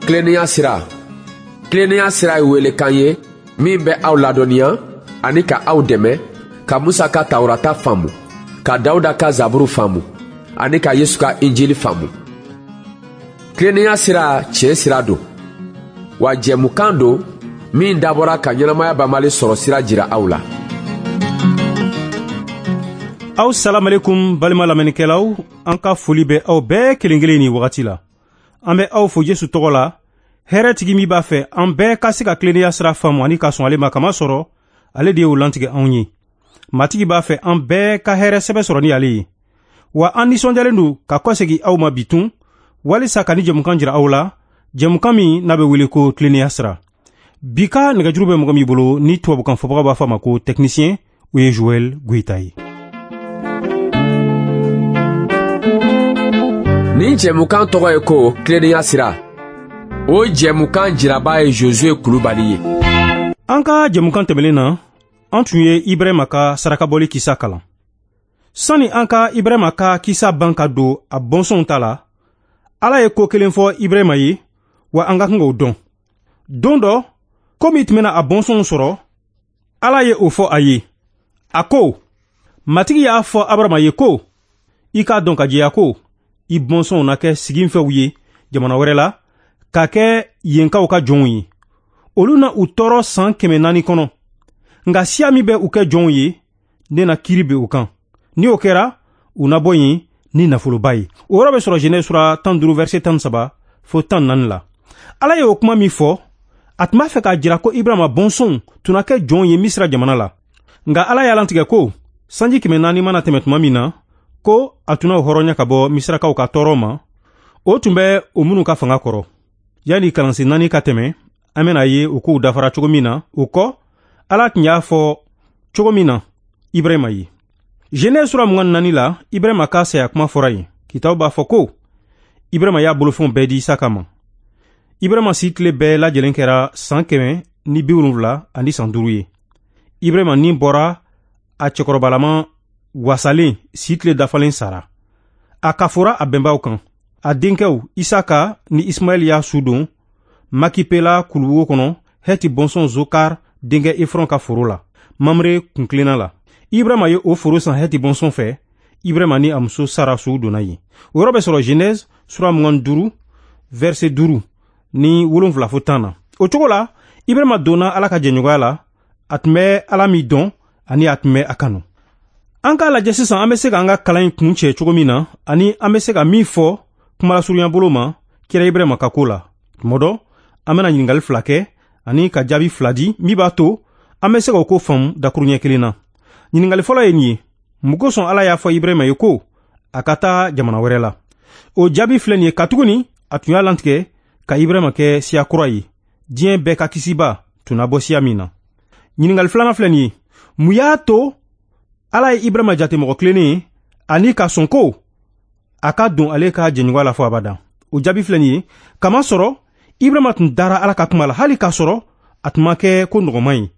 Tilennenya sira. Tilennenya sira ye welekan ye min bɛ aw ladɔnniya ani ka aw dɛmɛ ka Musa ka Tawurata faamu, ka Dawuda ka Zaburu faamu ani ka Yesu ka Injili faamu. Tilennenya sira tiɲɛ sira don, wa jɛmukan don min dabɔra ka ɲɛnamaya banbali sɔrɔ sira jira aw la. Aw salamalekum balima lamɛnnikɛlaw, an ka foli bɛ aw bɛɛ kelen kelen ni wagati la. An bɛ aw fo Yesu tɔgɔ la, hɛrɛtigi min b'a fɛ an bɛɛ ka se ka tilennenya sira faamu ani ka sɔn ale ma, kamasɔrɔ ale de y'o lantigɛ anw ye. Matigi b'a fɛ an bɛɛ ka hɛrɛ sɛbɛ sɔrɔ ni ale ye. Wa an nisɔndiyalen don ka kɔsegin aw ma bitun walisa ka ni jɛmukan jira aw la, jɛmukan min n'a bɛ wele ko tilennenya sira. Bi ka nɛgɛjuru bɛ mɔgɔ min bolo ni tubabukan fɔbaga b'a fɔ a ma ko technicien, o ye Joël Goïta ye. Nin jɛmukan tɔgɔ ye ko tilennenya sira. O jɛmukan jiraba ye Josué Kulubali ye. An ka jɛmukan tɛmɛnen na, an tun ye Ibrahima ka sarakabɔli kisa kalan. Sani an ka Ibrahima ka kisa ban ka don a bɔnsɔnw ta la, Ala ye ko kelen fɔ Ibrahima ye, wa an ka kan k'o dɔn. Don dɔ, ko min tun bɛna a bɔnsɔnw sɔrɔ, Ala ye o fɔ a ye. A ko, Matigi y'a fɔ Abarama ye ko, i k'a dɔn ka jɛya ko, i bɔnsɔnw na kɛ siginfɛw ye jamana wɛrɛ la, ka kɛ yenkaw ka jɔnw ye. Olu na u tɔɔrɔ san 400 kɔnɔ. Nka siya min bɛ u kɛ jɔnw ye, ne na kiiri bin u kan. Ni o kɛra, u na bɔ yen ni nafoloba ye. O yɔrɔ bɛ sɔrɔ Genèse sura 15 verset 13 fo 14 la. Ala ye o kuma min fɔ, a tun b'a fɛ k'a jira ko Ibrahima bɔnsɔnw tun na kɛ jɔnw ye Misira jamana la. Nka Ala y'a lantigɛ ko sanji 400 mana tɛmɛ tuma min na, ko a tun na o hɔrɔnya ka bɔ Misirakaw ka tɔɔrɔ ma, o tun bɛ o minnu ka fanga kɔrɔ. Yanni kalansen 4 ka tɛmɛ, an bɛna ye o kow dafara cogo min na. O kɔ, Ala tun y'a fɔ cogo min na Ibrahima ye. Genèse sura 24 la, Ibrahima ka saya kuma fɔra yen. Kitabu b'a fɔ ko Ibrahima y'a bolofɛnw bɛɛ di Isaka ma. Ibrahima si tile bɛɛ lajɛlen kɛra san 175 ani san 5 ye. Ibrahima ni bɔra a cɛkɔrɔbalama wasalen si tile dafalen sara. A kafora a bɛnbaw kan. A denkɛw Isaka ni Ismaɛl y'a su don Makipela kuluwo kɔnɔ, Hɛti bɔnsɔn Zokar denkɛ Efrɔn ka foro la, Mamre kuntilenna la. Ibrahima ye o foro san Hɛti bɔnsɔn fɛ. Ibrahima ni a muso Sara su donna yen. O yɔrɔ bɛ sɔrɔ Genèse sura 25 verset 5 ni 7 fo 10 na. O cogo la, Ibrahima donna Ala ka jɛɲɔgɔnya la, a tun bɛ Ala min dɔn ani a tun bɛ a kanu. An k'a lajɛ sisan an bɛ se k'an ka kalan in kun cɛ cogo min na, ani an bɛ se ka min fɔ kumalasurunya bolo ma kira Ibrahima ka ko la. Tuma dɔ, an bɛna ɲininkali 2 kɛ ani ka jaabi 2 di min b'a to an bɛ se k'o ko faamu dakuruɲɛ kelen na. Ɲininkali fɔlɔ ye nin ye: mun kosɔn Ala y'a fɔ Ibrahima ye ko a ka taa jamana wɛrɛ la? O jaabi filɛ nin ye: katuguni a tun y'a lantigɛ ka Ibrahima kɛ siya kura ye, diɲɛ bɛɛ ka kisiba tun na bɔ siya min na. Ɲininkali filanan filɛ nin ye: mun y'a to Ala ye Ibrahima jate mɔgɔ tilennen ye ani ka sɔn ko a ka don ale ka jɛɲɔgɔnya la fo abada? O jaabi filɛ nin ye: kamasɔrɔ Ibrahima tun dara Ala ka kuma la, hali k'a sɔrɔ a tun ma kɛ ko nɔgɔman ye.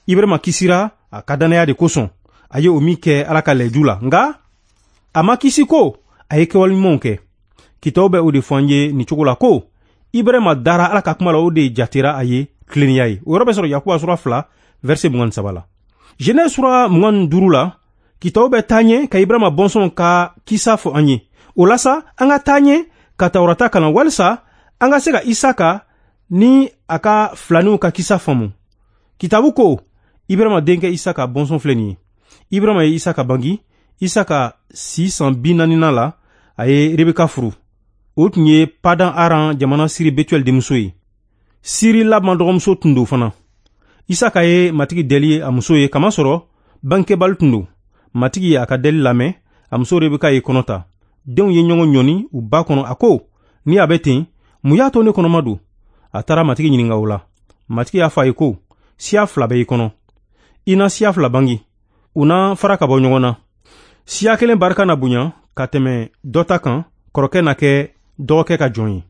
Ibrahima kisira a ka dannaya de kosɔn, a ye o min kɛ Ala ka layidu la. Nka a ma kisi ko a ye kɛwale ɲumanw kɛ. Kitabu bɛ o de fɔ an ye nin cogo la ko Ibrahima dara Ala ka kuma la, o de jatera a ye tilennenya ye. O yɔrɔ bɛ sɔrɔ Yakuba sura 2 verset 23 la. Genèse sura 25 la, kitabu bɛ taa ɲɛ ka Ibrahima bɔnsɔnw ka kisa fɔ an ye. O la sa, an ka taa ɲɛ ka Tawurata kalan walisa an ka se ka Isaka ni a ka filaninw ka kisa faamu. Kitabu ko Ibrahima denkɛ Isaka bɔnsɔn filɛ nin ye. Ibrahima ye Isaka bangi. Isaka si san 40nan la, a ye Rebeka furu. O tun ye Padan Aran jamana Siri Betuel denmuso ye. Siri Laban dɔgɔmuso tun don fana. Isaka ye Matigi deli a muso ye, kamasɔrɔ bangekɛbali tun don. Matigi ye a ka deli lamɛn, a muso Rebeka ye kɔnɔ ta. Denw ye ɲɔgɔn ɲɔni u ba kɔnɔ. A ko, ni a bɛ ten, mun y'a to ne kɔnɔma don? A taara Matigi ɲininka o la. Matigi y'a fɔ a ye ko, siya 2 bɛ i kɔnɔ. I na siya 2 bangi. U na fara ka bɔ ɲɔgɔn na. Siya kelen barika na bonya ka tɛmɛ dɔ ta kan, kɔrɔkɛ na kɛ dɔgɔkɛ ka jɔn ye.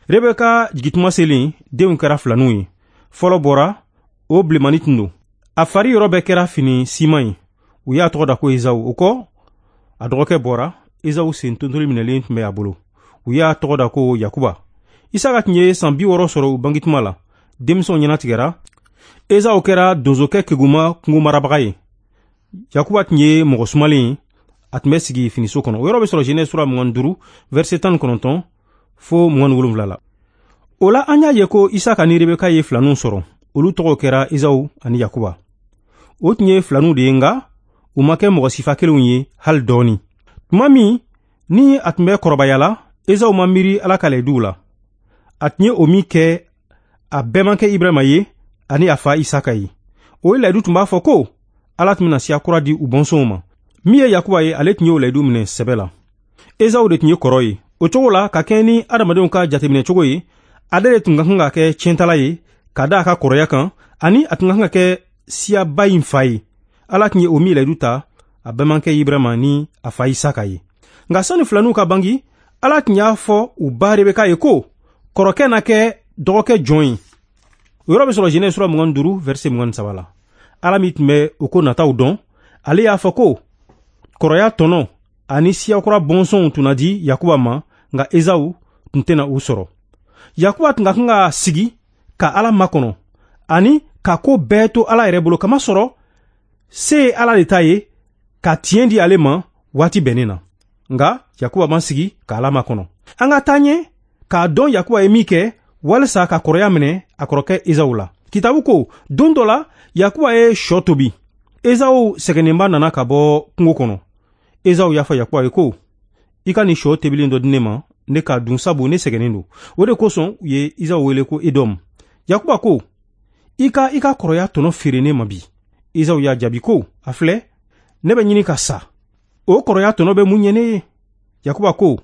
Rebeka jigintuma selen, denw kɛra filaninw ye. Fɔlɔ bɔra, o bilenmani tun don. A fari yɔrɔ bɛɛ kɛra fini siman ye. U y'a tɔgɔ da ko Ezawu. O kɔ, a dɔgɔkɛ bɔra, Ezawu sen tontoli minɛlen tun bɛ a bolo. U y'a tɔgɔ da ko Yakuba. Isaka tun ye san 60 sɔrɔ u bangetuma la. Denmisɛnw ɲɛnatigɛra. Ezaw kɛra donsokɛ keguma kungo marabaga ye. Yakuba tun ye mɔgɔ sumalen ye, a tun bɛ sigi finiso kɔnɔ. O yɔrɔ bɛ sɔrɔ Genèse sura 25 verset 19 fo 27 la. O la an y'a ye ko Isaka ni Rebeka ye filaninw sɔrɔ. Olu tɔgɔw kɛra Ezaw ani Yakuba. O tun ye filaninw de ye, nka u ma kɛ mɔgɔ sifa kelenw ye hali dɔɔni. Tuma min ni a tun bɛ kɔrɔbaya la, Ezaw ma miiri Ala ka layiduw la. A tun ye o min kɛ a bɛɛmankɛ Ibrahima ye ani a fa Isaka ye. O layidu tun b'a fɔ ko Ala tun bɛna siya kura di u bɔnsɔnw ma. Min ye Yakuba ye, ale tun y'o layidu minɛ sɛbɛ la. Ezaw de tun ye kɔrɔ ye. O cogo la, ka kɛɲɛ ni adamadenw ka jateminɛ cogo ye, ale de tun ka kan ka kɛ tiɲɛtala ye ka da a ka kɔrɔya kan, ani a tun ka kan ka kɛ siyaba in fa ye. Ala tun ye o min layidu ta a bɛɛmankɛ Ibrahima ni a fa Isaka ye. Nka sani filaninw ka bangi, Ala tun y'a fɔ u ba Rebeka ye ko kɔrɔkɛ na kɛ dɔgɔkɛ jɔn ye. O yɔrɔ bɛ sɔrɔ Genèse sura 25 verset 23 la. Ala min tun bɛ o ko nataw dɔn, ale y'a fɔ ko kɔrɔya tɔnɔ ani siyakura bɔnsɔnw tun na di Yakuba ma, nka Ezaw tun tɛna u sɔrɔ. Yakuba tun ka kan ka sigi ka Ala makɔnɔ ani ka ko bɛɛ to Ala yɛrɛ bolo, kamasɔrɔ se ye Ala de ta ye ka tiɲɛ di ale ma waati bɛnnen na. Nka Yakuba ma sigi ka Ala makɔnɔ. An ka taa ɲɛ k'a dɔn Yakuba ye min kɛ walisa ka kɔrɔya minɛ a kɔrɔkɛ Ezaw la. Kitabu ko don dɔ la Yakuba ye shɔ tobi. Ezaw sɛgɛnnenba nana ka bɔ kungo kɔnɔ. Ezaw y'a fɔ Yakuba ye ko i ka nin shɔ tobilen dɔ di ne ma, ne k'a dun, sabu ne sɛgɛnnen don. O de kosɔn u ye Ezaw wele ko Edɔm. Yakuba ko i ka i ka kɔrɔya tɔnɔ feere ne ma bi. Ezaw y'a jaabi ko a filɛ, ne bɛ ɲini ka sa. O kɔrɔya tɔnɔ bɛ mun ɲɛ ne ye? Yakuba ko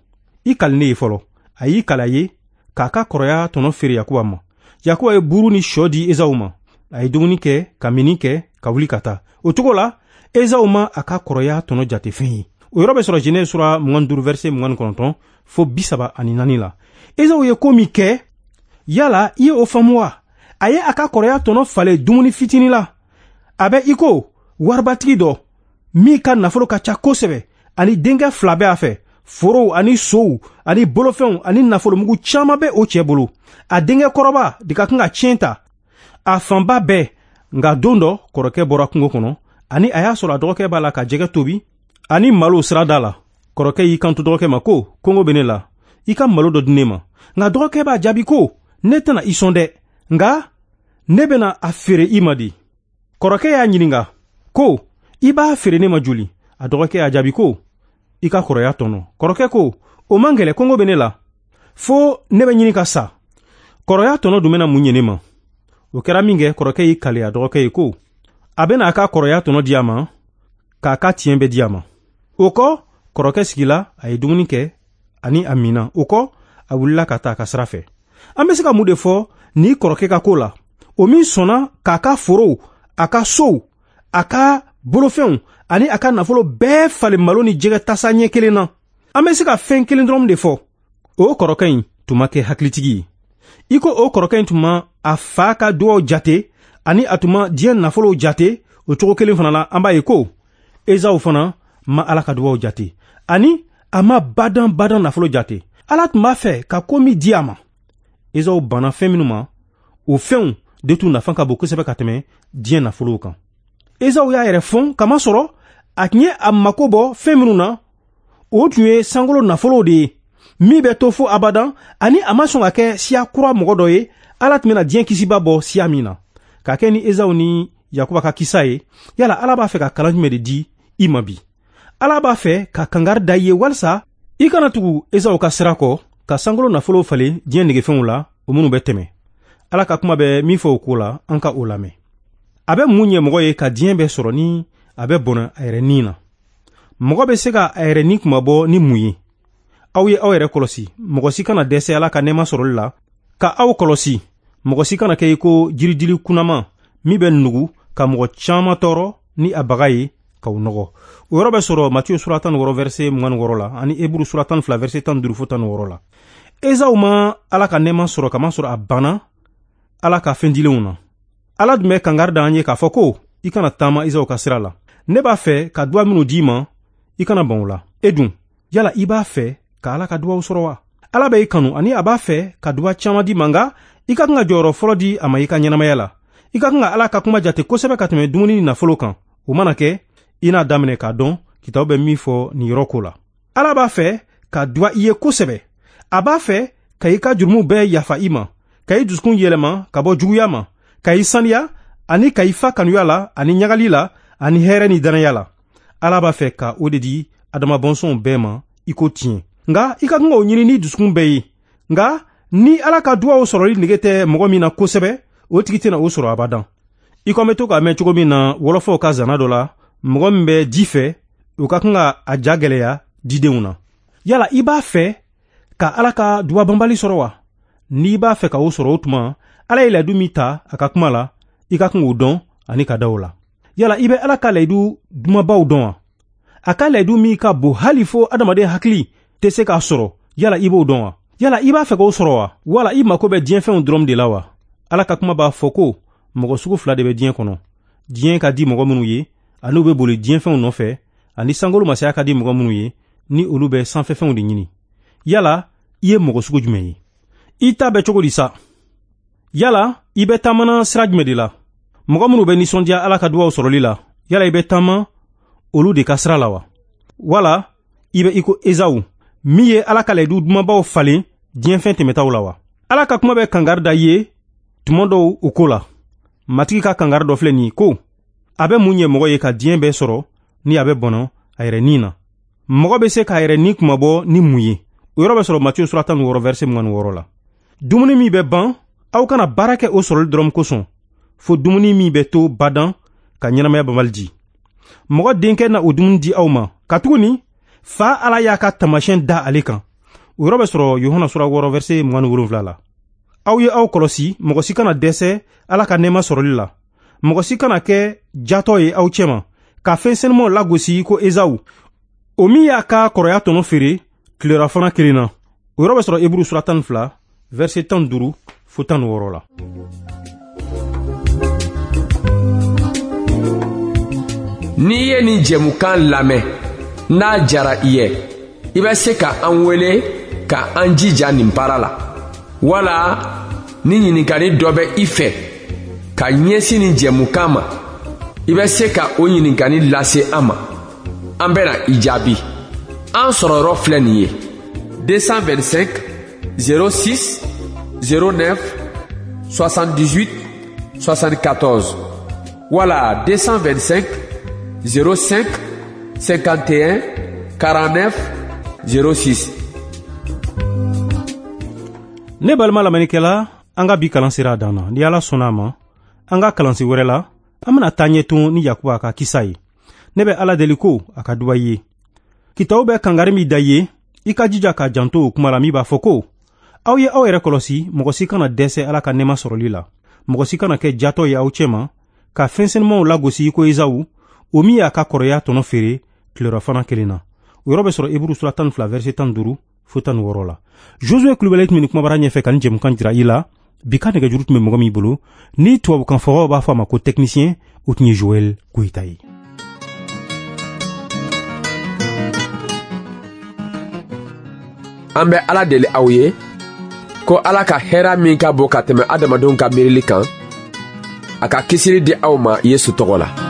i kali ne ye fɔlɔ. A y'i kali a ye k'a ka kɔrɔya tɔnɔ feere Yakuba ma. Yakuba ye buru ni shɔ di Ezaw ma. A ye dumuni kɛ ka minni kɛ ka wuli ka taa. O cogo la Ezaw ma a ka kɔrɔya tɔnɔ jate fɛn ye. O yɔrɔ bɛ sɔrɔ Genèse sura 25 verset 29 fo 34 la. Ezaw ye ko min kɛ, yala i ye o faamu wa? A ye a ka kɔrɔya tɔnɔ falen dumuni fitinin la. A bɛ i ko waribatigi dɔ min ka nafolo ka ca kosɛbɛ, ani denkɛ fila bɛ a fɛ. Forow ani sow ani bolofɛnw ani nafolomugu caman bɛ o cɛ bolo. A denkɛ kɔrɔba de ka kan ka tiɲɛ ta a fanba bɛɛ. Nka don dɔ kɔrɔkɛ bɔra kungo kɔnɔ, ani a y'a sɔrɔ a dɔgɔkɛ b'a la ka jɛgɛ tobi ani malo sirada la. Kɔrɔkɛ y'i kanto dɔgɔkɛ ma ko kɔngɔ bɛ ne la, i ka malo dɔ di ne ma. Nka dɔgɔkɛ b'a jaabi ko ne tɛna i sɔn dɛ, nka ne bɛna a feere i ma de. Kɔrɔkɛ y'a ɲininka ko i b'a feere ne ma joli? A dɔgɔkɛ y'a jaabi ko i ka kɔrɔya tɔnɔ. Kɔrɔkɛ ko o man gɛlɛ, kɔngɔ bɛ ne la, fo ne bɛ ɲini ka sa. Kɔrɔya tɔnɔ dun bɛna mun ɲɛ ne ma? O kɛra min kɛ, kɔrɔkɛ y'i kali a dɔgɔkɛ ye ko a bɛna a ka kɔrɔya tɔnɔ di a ma, k'a ka tiɲɛ bɛɛ di a ma. O kɔ kɔrɔkɛ sigila, a ye dumuni kɛ ani a minna. O kɔ a wulila ka taa a ka sira fɛ. An bɛ se ka mun de fɔ ni kɔrɔkɛ ka ko la? O min sɔnna k'a ka forow, a ka sow, a ka bolofɛnw ani a ka nafolo bɛɛ falen malo ni jɛgɛ tasa ɲɛ kelen na. An bɛ se ka fɛn kelen dɔrɔn de fɔ. O kɔrɔkɛ in tun ma kɛ hakilitigi ye. I ko o kɔrɔkɛ in tun ma a fa ka duwaw jate ani a tun ma diɲɛ nafolow jate, o cogo kelen fana la an b'a ye ko Ezaw fana ma Ala ka duwaw jate ani a ma badan badan nafolo jate. Ala tun b'a fɛ ka ko min di a ma, Ezaw banna fɛn minnu ma, o fɛnw de tun nafa ka bon kosɛbɛ ka tɛmɛ diɲɛ nafolow kan. Ezaw y'a yɛrɛ fɔn kamasɔrɔ a tun ye a mako bɔ fɛn minnu na, o tun ye sankolo nafolow de ye min bɛ to fo abadan, ani a ma sɔn ka kɛ siya kura mɔgɔ dɔ ye Ala tun bɛna diɲɛ kisiba bɔ siya min na. Ka kɛ ni Ezaw ni Yakuba ka kisa ye, yala Ala b'a fɛ ka kalan jumɛn de di i ma bi? Ala b'a fɛ ka kangari da i ye walisa i kana tugu Ezaw ka sira kɔ ka sankolo nafolow falen diɲɛ negefɛnw la, o minnu bɛ tɛmɛ. Ala ka kuma bɛ min fɔ o ko la, an ka o lamɛn. A bɛ mun ɲɛ mɔgɔ ye ka diɲɛ bɛɛ sɔrɔ ni a bɛ bɔnɛ a yɛrɛ ni na? Mɔgɔ bɛ se ka a yɛrɛ ni kunmabɔ ni mun ye? Aw ye aw yɛrɛ kɔlɔsi, mɔgɔ si kana dɛsɛ Ala ka nɛɛma sɔrɔli la. Ka aw kɔlɔsi, mɔgɔ si kana kɛ i ko jiridili kunnama min bɛ nugu ka mɔgɔ caman tɔɔrɔ ni a baga ye k'aw nɔgɔ. O yɔrɔ bɛ sɔrɔ Matiyu sura 16 verset 26 la ani Eburu sura 12 verset 15 fo 16 la. Ezaw ma Ala ka nɛɛma sɔrɔ kamasɔrɔ a banna Ala ka fɛn dilenw na. Ala dun bɛ kangari da an ye k'a fɔ ko i kana taama Ezaw ka sira la. Ne b'a fɛ ka duwa minnu d'i ma, i kana ban o la. E dun, yala i b'a fɛ ka Ala ka duwaw sɔrɔ wa? Ala bɛ i kanu ani a b'a fɛ ka duba caman di ma, nka i ka kan ka jɔyɔrɔ fɔlɔ di a ma i ka ɲɛnamaya la. I ka kan ka Ala ka kuma jate kosɛbɛ ka tɛmɛ dumuni ni nafolo kan. O mana kɛ, i n'a daminɛ k'a dɔn kitabu bɛ min fɔ nin yɔrɔ ko la. Ala b'a fɛ ka duba i ye kosɛbɛ. A b'a fɛ ka i ka jurumu bɛɛ yafa i ma, ka i dusukun yɛlɛma ka bɔ juguya ma, ka i saniya ani ka i fa kanuya la ani ɲagali la ani hɛrɛ ni dannaya la. Ala b'a fɛ ka o de di Adama bɔnsɔnw bɛɛ ma i ko tiɲɛ. Nka i ka kan k'o ɲini ni dusukun bɛɛ ye. Nka ni Ala ka duwaw sɔrɔli nege tɛ mɔgɔ min na kosɛbɛ, o tigi tɛna o sɔrɔ abadan. I ko an bɛ to k'a mɛn cogo min na wɔlɔfɔw ka zana dɔ la, mɔgɔ min bɛ ji fɛ, o ka kan ka a ja gɛlɛya didenw na. Yala i b'a fɛ ka Ala ka duba banbali sɔrɔ wa? N'i b'a fɛ ka o sɔrɔ, o tuma Ala ye layidu min ta a ka kuma la, i ka kan k'o dɔn ani ka da o la. Yala i bɛ Ala ka layidu dumanbaw dɔn wa? A ka layidu min ka bon hali fo adamaden hakili tɛ se k'a sɔrɔ, yala i b'o dɔn wa? Yala i b'a fɛ k'o sɔrɔ wa? Wala i mako bɛ diɲɛfɛnw dɔrɔn de la wa? Ala ka kuma b'a fɔ ko mɔgɔ sugu fila de bɛ diɲɛ kɔnɔ. Diɲɛ ka di mɔgɔ minnu ye, ani u bɛ boli diɲɛfɛnw nɔfɛ, ani sankolo masaya ka di mɔgɔ minnu ye, ni olu bɛ sanfɛfɛnw de ɲini. Yala i ye mɔgɔ sugu jumɛn ye? I ta bɛ cogo di sa? Yala i bɛ taamana sira jumɛn de la? Mɔgɔ minnu bɛ nisɔndiya Ala ka duwaw sɔrɔli la, yala i bɛ taama olu de ka sira la wa? Wala i bɛ i ko Ezawu min ye Ala ka layidu dumanbaw falen diɲɛfɛn tɛmɛtaw la wa? Ala ka kuma bɛ kangari da i ye tuma dɔw o ko la. Matigi ka kangari dɔ filɛ nin ye ko a bɛ mun ɲɛ mɔgɔ ye ka diɲɛ bɛɛ sɔrɔ ni a bɛ bɔnɔ a yɛrɛ ni na? Mɔgɔ bɛ se k'a yɛrɛ ni kunmabɔ ni mun ye? O yɔrɔ bɛ sɔrɔ Matiyu sura 16 verset 26 la. Dumuni min bɛ ban, aw kana baara kɛ o sɔrɔli dɔrɔn kosɔn, fo dumuni min bɛ to badan ka ɲɛnamaya banbali di. Mɔgɔ denkɛ na o dumuni di aw ma, katuguni fa Ala y'a ka taamasiyɛn da ale kan. O yɔrɔ bɛ sɔrɔ Yohana sura 6 verset 27 la. Aw ye aw kɔlɔsi, mɔgɔ si kana dɛsɛ Ala ka nɛɛma sɔrɔli la. Mɔgɔ si kana kɛ jatɔ ye aw cɛma, ka fɛn senumanw lagosi ko Ezawu, o min y'a ka kɔrɔya tɔnɔ feere tilelafana kelen na. O yɔrɔ bɛ sɔrɔ Eburu sura 12 verset 15 fo 16 la. N'i ye nin jɛmukan lamɛn, n'a jara i ye, i bɛ se ka an wele ka an jija nin baara la. Wala ni ɲininkali dɔ bɛ i fɛ ka ɲɛsin nin jɛmukan ma, i bɛ se ka o ɲininkali lase an ma. An bɛna i jaabi. An sɔrɔyɔrɔ filɛ nin ye: 225 06 09 78 74 wala 225 05 51 49 06. Ne balima lamɛnnikɛla, an ka bi kalan sera a dan na. Ni Ala sɔnna a ma, an ka kalansen wɛrɛ la, an bɛna taa ɲɛ tun ni Yakuba ka kisa ye. Ne bɛ Ala deli ko a ka duba i ye. Kitabu bɛ kangari min da i ye, i ka jija k'a janto o kuma la min b'a fɔ ko aw ye aw yɛrɛ kɔlɔsi, mɔgɔ si kana dɛsɛ Ala ka nɛɛma sɔrɔli la. Mɔgɔ si kana kɛ jatɔ ye aw cɛma, ka fɛn senumanw lagosi i ko Ezawu, o min y'a ka kɔrɔya tɔnɔ feere tilelafana kelen na. O yɔrɔ bɛ sɔrɔ Eburu sura 12 verset 15 fo 16 la. Josue Kulubali tun bɛ nin kumabara ɲɛfɛ ka nin jɛmukan jira i la. Bi ka nɛgɛjuru tun bɛ mɔgɔ min bolo, ni tubabukan fɔbaw b'a fɔ a ma ko technicien, o tun ye Joël Goyita ye. An bɛ Ala deli aw ye ko Ala ka hɛrɛ min ka bon ka tɛmɛ adamadenw ka miirili kan, a ka kisili di aw ma Yesu tɔgɔ la.